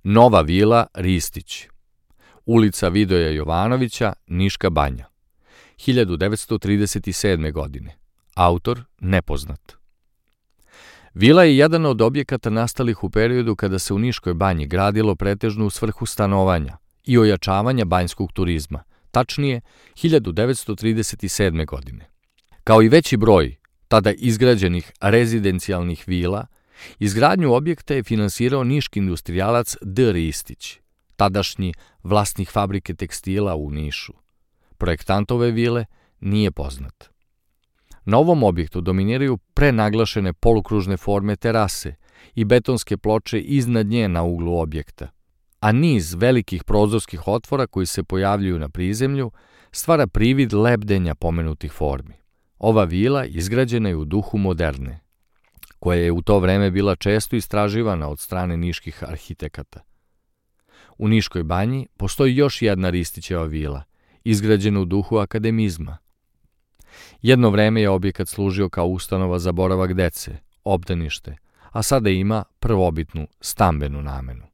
Nova vila Ristić, ulica Vidoja Jovanovića, Niška banja, 1937. godine. Autor nepoznat. Vila je jedan od objekata nastalih u periodu kada se u Niškoj banji gradilo pretežno u svrhu stanovanja i ojačavanja banjskog turizma, tačnije 1937. godine. Kao i veći broj tada izgrađenih rezidencijalnih vila, izgradnju objekta je finansirao niški industrijalac D. Ristić, tadašnji vlasnik fabrike tekstila u Nišu. Projektant ove vile nije poznat. Na ovom objektu dominiraju prenaglašene polukružne forme terase i betonske ploče iznad nje na uglu objekta, a niz velikih prozorskih otvora koji se pojavljuju na prizemlju stvara privid lebdenja pomenutih formi. Ova vila izgrađena je u duhu moderne, koja je u to vreme bila često istraživana od strane niških arhitekata. U Niškoj banji postoji još jedna Ristićeva vila, izgrađena u duhu akademizma. Jedno vreme je objekat služio kao ustanova za boravak dece, obdanište, a sada ima prvobitnu stambenu namenu.